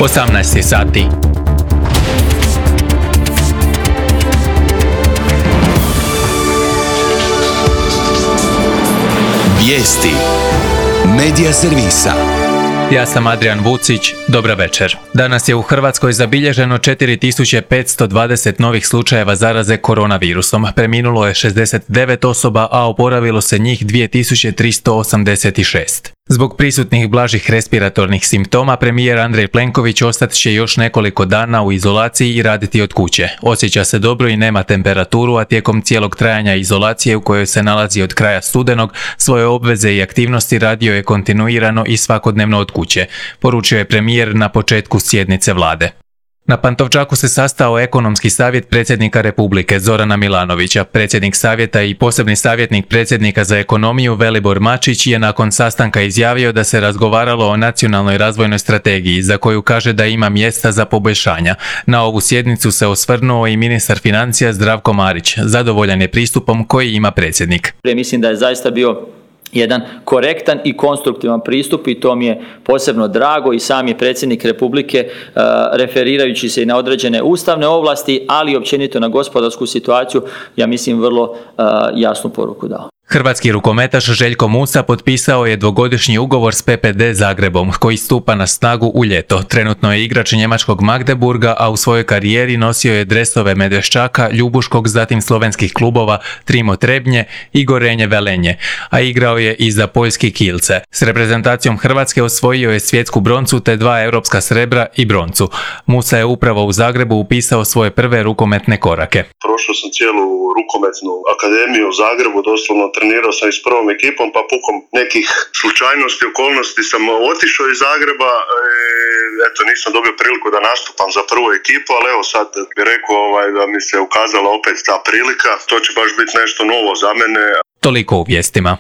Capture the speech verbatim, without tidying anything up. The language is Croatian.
osamnaest sati. Vijesti Medija servisa. Ja sam Adrian Vucić, dobra večer. Danas je u Hrvatskoj zabilježeno četiri tisuće petsto dvadeset novih slučajeva zaraze koronavirusom. Preminulo je šezdeset devet osoba, a oporavilo se njih dvije tisuće tristo osamdeset šest. Zbog prisutnih blažih respiratornih simptoma, premijer Andrej Plenković ostat će još nekoliko dana u izolaciji i raditi od kuće. Osjeća se dobro i nema temperaturu, a tijekom cijelog trajanja izolacije u kojoj se nalazi od kraja studenog, svoje obveze i aktivnosti radio je kontinuirano i svakodnevno od kuće, poručio je premijer na početku sjednice vlade. Na Pantovčaku se sastao ekonomski savjet predsjednika Republike Zorana Milanovića. Predsjednik savjeta i posebni savjetnik predsjednika za ekonomiju Velibor Mačić je nakon sastanka izjavio da se razgovaralo o nacionalnoj razvojnoj strategiji, za koju kaže da ima mjesta za poboljšanja. Na ovu sjednicu se osvrnuo i ministar financija Zdravko Marić. Zadovoljan je pristupom koji ima predsjednik. Mislim da je zaista bio jedan korektan i konstruktivan pristup i to mi je posebno drago i sam je predsjednik Republike uh, referirajući se i na određene ustavne ovlasti, ali i općenito na gospodarsku situaciju, ja mislim vrlo uh, jasnu poruku dao. Hrvatski rukometaš Željko Musa potpisao je dvogodišnji ugovor s P P D Zagrebom, koji stupa na snagu u ljeto. Trenutno je igrač njemačkog Magdeburga, a u svojoj karijeri nosio je dresove Medveščaka, Ljubuškog, zatim slovenskih klubova Trimo Trebnje i Gorenje Velenje, a igrao je i za poljski Kielce. S reprezentacijom Hrvatske osvojio je svjetsku broncu te dva europska srebra i broncu. Musa je upravo u Zagrebu upisao svoje prve rukometne korake. Prošao sam cijelu rukometnu akademiju u Zagrebu, doslovno trenirao sam i s prvom ekipom, pa pukom nekih slučajnosti, okolnosti sam otišao iz Zagreba, e, eto nisam dobio priliku da nastupam za prvu ekipu, ali evo sad bih rekao ovaj, da mi se ukazala opet ta prilika, to će baš biti nešto novo za mene. Toliko u vijestima.